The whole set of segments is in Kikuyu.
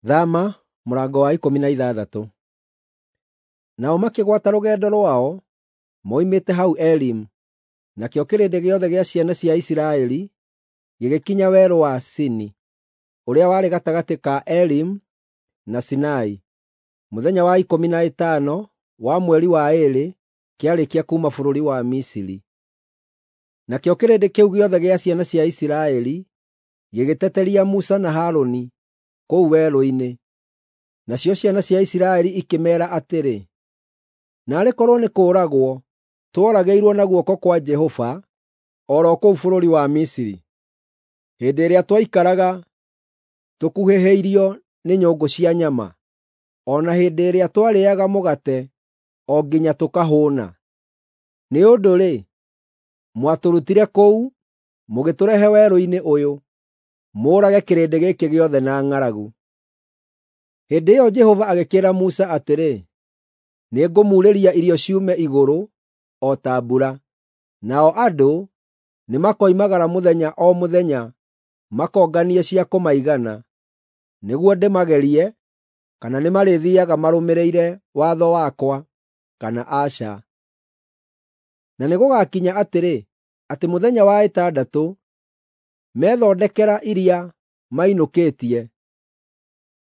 Thama mũrango wa 16. Nao makĩgwata rũgendo rwao moimĩte hau Elimu, nakĩo kĩrĩndĩ gĩothe gĩa ciana cia Isiraeli gĩgĩkinya werũ wa Sini, ũrĩa warĩ gatagatĩ ka Elimu na Sinai, mũthenya wa 15 wa mweri wa ĩĩrĩ kĩarĩkia kuuma bũrũri wa Misiri. Nakĩo kĩrĩndĩ kĩu gĩothe gĩa ciana cia Isiraeli gĩgĩteteria Musa na Harũni kũu werũ-inĩ. Nacio ciana cia Isiraeli ikĩmeera atĩrĩ, “Naarĩ korwo nĩ kũũragwo tworagĩirwo na guoko kwa Jehova o ro kũu bũrũri wa Misiri, hĩndĩ ĩrĩa twaikaraga tũkuhĩhĩirio nĩ nyũngũ cia nyama, o na hĩndĩ ĩrĩa twarĩĩaga mũgate o nginya tũkahũũna. Nĩ ũndũ-rĩ, mwatũrutire kũu mũgĩtũrehe werũ-inĩ ũyũ, mũũrage kĩrĩndĩ gĩkĩ gĩothe na ng'aragu.” Hĩndĩ ĩyo Jehova agĩkĩĩra Musa atĩrĩ, “Nĩngũmuurĩria irio ciume igũrũ o ta mbura, nao andũ nĩmakoimagara mũthenya o mũthenya makonganie cia kũmaigana, nĩguo ndĩmagerie kana nĩmarĩthiiaga marũmĩrĩire watho wakwa kana aca. Na nĩgũgakinya atĩrĩ, atĩ mũthenya wa ĩtandatũ methondekera iria mainũkĩtie,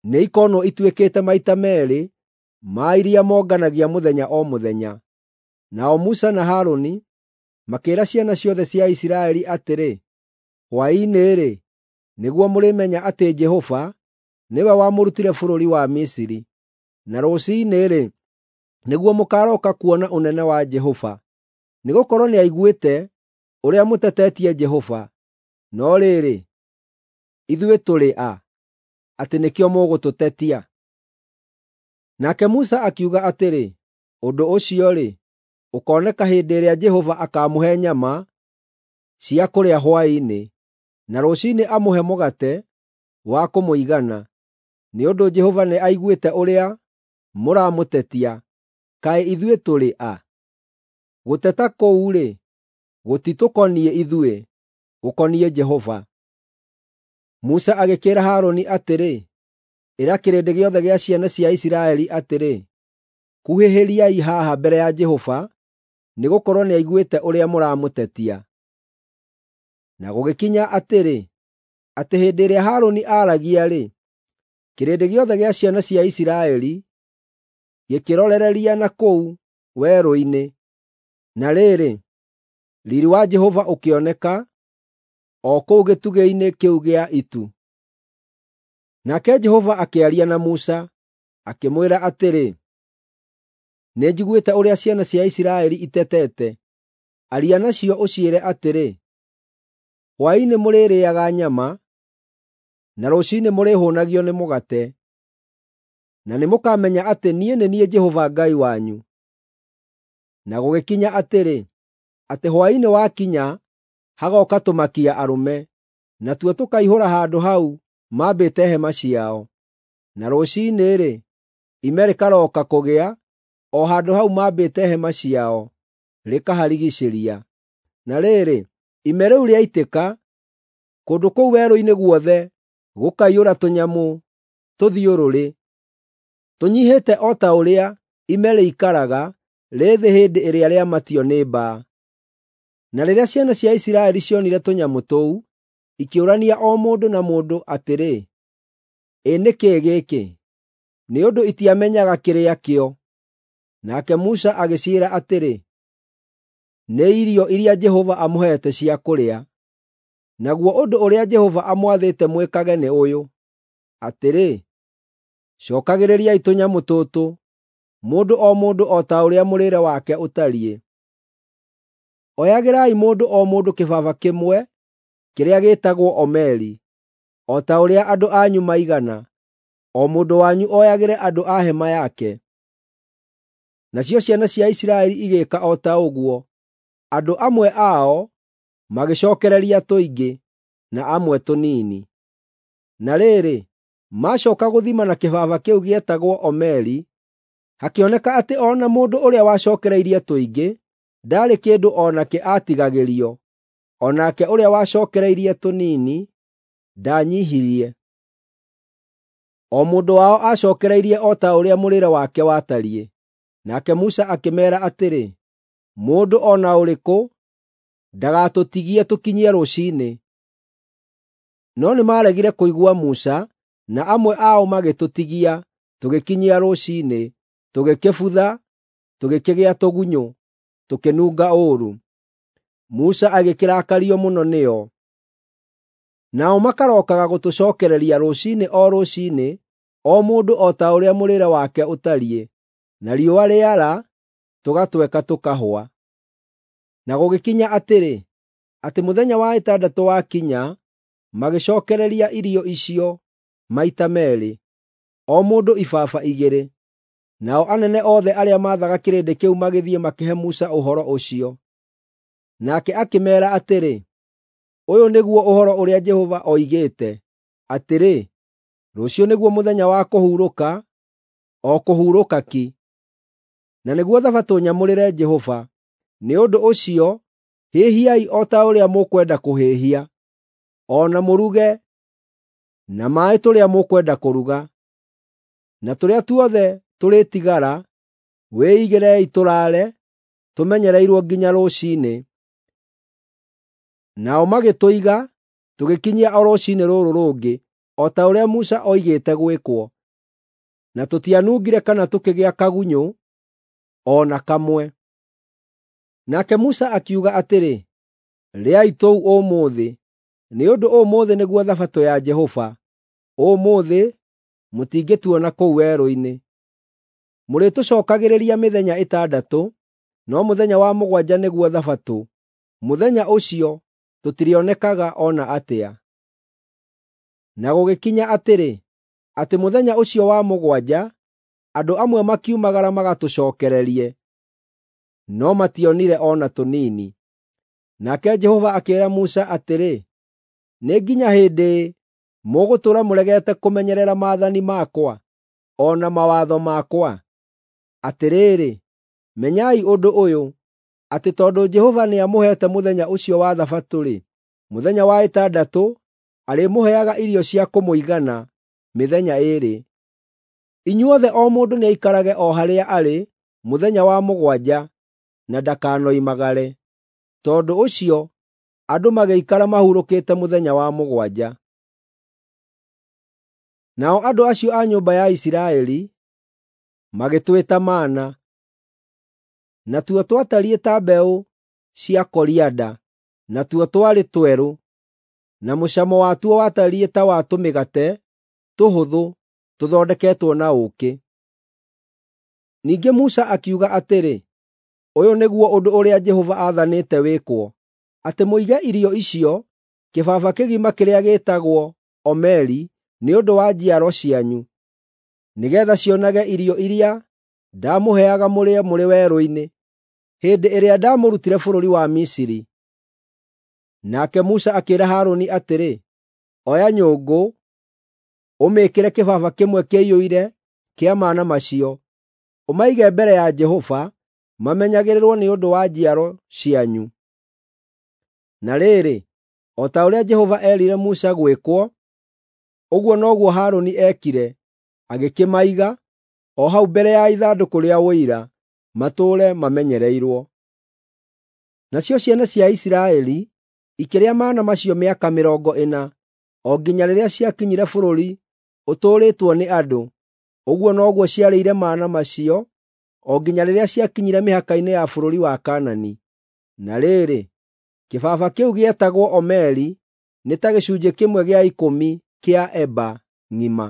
nĩikonwo ituĩkĩte maita meerĩ ma iria monganagia mũthenya o mũthenya.” Nao Musa na Harũni makĩĩra ciana ciothe cia Isiraeli atĩrĩ, “Hwaĩ-inĩ-rĩ, nĩguo mũrĩmenya atĩ Jehova nĩwe wamũrutire bũrũri wa Misiri, na rũciinĩ-rĩ, nĩguo mũkaarooka kuona ũnene wa Jehova, nĩgũkorwo nĩaiguĩte ũrĩa mũtetetie Jehova. No rĩrĩ, ithuĩ tũrĩ a, atĩ nĩkĩo mũgũtũtetia?” Nake Musa akiuga atĩrĩ, “Ũndũ ũcio-rĩ, ũkooneka hĩndĩ ĩrĩa Jehova akaamũhe nyama cia kũrĩa hwaĩ-inĩ, na rũciinĩ amũhe mũgate wa kũmũigana, nĩ ũndũ Jehova nĩaiguĩte ũrĩa mũramũtetia. Kaĩ ithuĩ tũrĩ a? Gũteta kũu-rĩ, gũtitũkoniĩ ithuĩ, gũkoniĩ Jehova.” Musa agĩkĩĩra Harũni atĩrĩ, “Ĩra kĩrĩndĩ gĩothe gĩa ciana cia Isiraeli atĩrĩ, ‘Kuhĩhĩriai haha mbere ya Jehova, nĩgũkorwo nĩaiguĩte ũrĩa mũramũtetia.’ ” Na gũgĩkinya atĩrĩ, atĩ hĩndĩ ĩrĩa Harũni aaragia-rĩ, kĩrĩndĩ gĩothe gĩa ciana cia Isiraeli gĩkĩrorereria na kũu werũ-inĩ. Na rĩrĩ, riiri wa Jehova ũkĩoneka o kũu gĩtugĩ-inĩ kĩu gĩa itu. Nake Jehova akĩaria na Musa, akĩmwĩra atĩrĩ, “Nĩnjiguĩte ũrĩa ciana cia Isiraeli itetete. Aria nacio ũciĩre atĩrĩ, ‘Hwaĩ-inĩ mũrĩrĩĩaga nyama, na rũciinĩ mũrĩhũũnagio nĩ mũgate, na nĩmũkamenya atĩ niĩ nĩ niĩ Jehova Ngai wanyu.’ ” Na gũgĩkinya atĩrĩ, atĩ hwaĩ-inĩ wakinya hagooka tũmakia arũme, natuo tũkaihũra handũ hau maambĩte hema ciao. Na rũciinĩ-rĩ, ime rĩkarooka kũgĩa o handũ hau maambĩte hema ciao, rĩkaharigiicĩria. Na rĩrĩ, ime rĩu rĩaitĩka, kũndũ kũu werũ-inĩ guothe gũkaiyũra tũnyamũ tũthiũrũrĩ, tũnyiihĩte o ta ũrĩa ime rĩikaraga rĩ thĩ hĩndĩ ĩrĩa rĩamatio nĩ mbaa. Na rĩrĩa ciana cia Isiraeli cionire tũnyamũ tũu, ikĩũrania o mũndũ na mũndũ atĩrĩ, “Ĩ nĩ kĩĩ gĩkĩ?” Nĩ ũndũ itiamenyaga kĩrĩa kĩo. Nake Musa agĩciĩra atĩrĩ, “Nĩ irio iria Jehova amũheete cia kũrĩa. Naguo ũndũ ũrĩa Jehova amwathĩte mwĩkage nĩ ũyũ, atĩrĩ, cookagĩrĩriai tũnyamũ tũtũ, mũndũ o mũndũ o ta ũrĩa mũrĩĩre wake ũtariĩ. Oyagĩrai mũndũ o mũndũ kĩbaba kĩmwe kĩrĩa gĩĩtagwo omeri, o ta ũrĩa andũ anyu maigana, o mũndũ wanyu oyagĩre andũ a hema yake.” Nacio ciana cia Isiraeli igĩĩka o ta ũguo. Andũ amwe ao magĩcookereria tũingĩ, na amwe tũnini. Na rĩrĩ, maacooka gũthima na kĩbaba kĩu gĩetagwo omeri, hakĩoneka atĩ o na mũndũ ũrĩa wacookereirie tũingĩ ndaarĩ kĩndũ o nakĩ aatigagĩrio, o nake ũrĩa wacookereirie tũnini ndaanyiihirie. O mũndũ wao aacookereirie o ta ũrĩa mũrĩĩre wake watariĩ. Nake Musa akĩmeera atĩrĩ, “Mũndũ o na ũrĩkũ ndagatũtigie tũkinyie rũciinĩ.” No nĩmaregire kũigua Musa, na amwe ao magĩtũtigia tũgĩkinyia rũciinĩ, tũgĩkĩbutha, tũgĩkĩgĩa tũgunyũ, tũkĩnunga ũũru. Musa agĩkĩrakario mũno nĩo. Nao makarookaga gũtũcookereria rũciinĩ o rũciinĩ, o mũndũ o ta ũrĩa mũrĩĩre wake ũtariĩ, na riũa rĩara, tũgatweka tũkahũa. Na gũgĩkinya atĩrĩ, atĩ mũthenya wa ĩtandatũ wakinya, magĩcookereria irio icio maita meerĩ, o mũndũ ibaba igĩrĩ. Nao anene othe arĩa maathaga kĩrĩndĩ kĩu magĩthiĩ makĩhe Musa ũhoro ũcio. Nake akĩmeera atĩrĩ, “Ũyũ nĩguo ũhoro ũrĩa Jehova oigĩte, atĩrĩ, ‘Rũciũ nĩguo mũthenya wa kũhurũka, o kũhurũka ki, na nĩguo Thabatũ nyamũrĩre Jehova. Nĩ ũndũ ũcio hĩhiai o ta ũrĩa mũkwenda kũhĩhia, o na mũruge na maaĩ tũrĩa mũkwenda kũruga. Na tũrĩa tuothe tũrĩtigara, wĩigĩrei tũraare tũmenyereirwo nginya rũciinĩ.’ ” Nao magĩtũiga tũgĩkinyia o rũciinĩ rũrũ rũngĩ, o ta ũrĩa Musa oigĩte gwĩkwo, na tũtianungire kana tũkĩgĩa kagunyũ o na kamwe. Nake Musa akiuga atĩrĩ, “Rĩai tũu ũmũthĩ, nĩ ũndũ ũmũthĩ nĩguo Thabatũ ya Jehova. Ũmũthĩ mũtingĩtuona kũu werũ-inĩ. Mũrĩtũcookagĩrĩria mĩthenya ĩtandatũ, no mũthenya wa mũgwanja nĩguo Thabatũ. Mũthenya ũcio tũtirĩonekaga o na atĩa.” Na gũgĩkinya atĩrĩ, atĩ mũthenya ũcio wa mũgwanja, andũ amwe makiumagara magatũcookererie, no mationire o na tũnini. Nake Jehova akĩĩra Musa atĩrĩ, “Nĩ nginya hĩndĩ ĩ mũgũtũũra mũregete kũmenyerera maathani makwa, o na mawatho makwa? Atĩrĩrĩ, menyai ũndũ ũyũ, atĩ tondũ Jehova nĩamũheete mũthenya ũcio wa Thabatũ-rĩ, mũthenya wa ĩtandatũ arĩmũheaga irio cia kũmũigana mĩthenya ĩĩrĩ. Inyuothe o mũndũ nĩaikarage o harĩa arĩ mũthenya wa mũgwanja na ndakanoimagare.” Tondũ ũcio andũ magĩikara mahurũkĩte mũthenya wa mũgwanja. Nao andũ acio a nyũmba ya Isiraeli magĩtwĩta mana. Natuo twatariĩ ta mbeũ cia korianda, natuo twarĩ twerũ, na mũcamo watuo watariĩ ta wa tũmĩgate tũhũthũ tũthondeketwo na ũũkĩ. Ningĩ Musa akiuga atĩrĩ, “Ũyũ nĩguo ũndũ ũrĩa Jehova aathanĩte wĩkwo, atĩ mũige irio icio kĩbaba kĩgima kĩrĩa gĩĩtagwo omeri nĩ ũndũ wa njiaro cianyu, nĩgeetha cionage irio iria ndaamũheaga mũrĩe mũrĩ werũ-inĩ, hĩndĩ ĩrĩa ndamũrutire bũrũri wa Misiri.” Nake Musa akĩĩra Harũni atĩrĩ, “Oya nyũngũ, ũmĩĩkĩre kĩbaba kĩmwe kĩiyũire kĩa mana macio, ũmaige mbere ya Jehova mamenyagĩrĩrwo nĩ ũndũ wa njiaro cianyu.” Na rĩrĩ, o ta ũrĩa Jehova eerire Musa gwĩkwo, ũguo noguo Harũni eekire, agĩkĩmaiga o hau mbere ya ithandũkũ rĩa Ũira, matũũre mamenyereirwo. Nacio ciana cia Isiraeli ikĩrĩa mana macio mĩaka mĩrongo ĩna, o nginya rĩrĩa ciakinyire bũrũri ũtũũrĩtwo nĩ andũ. Ũguo noguo ciarĩire mana macio o nginya rĩrĩa ciakinyire mĩhaka-inĩ ya bũrũri wa Kaanani. Na rĩrĩ, kĩbaba kĩu gĩetagwo omeri nĩ ta gĩcunjĩ kĩmwe gĩa ikũmi kĩa eba ng'ima.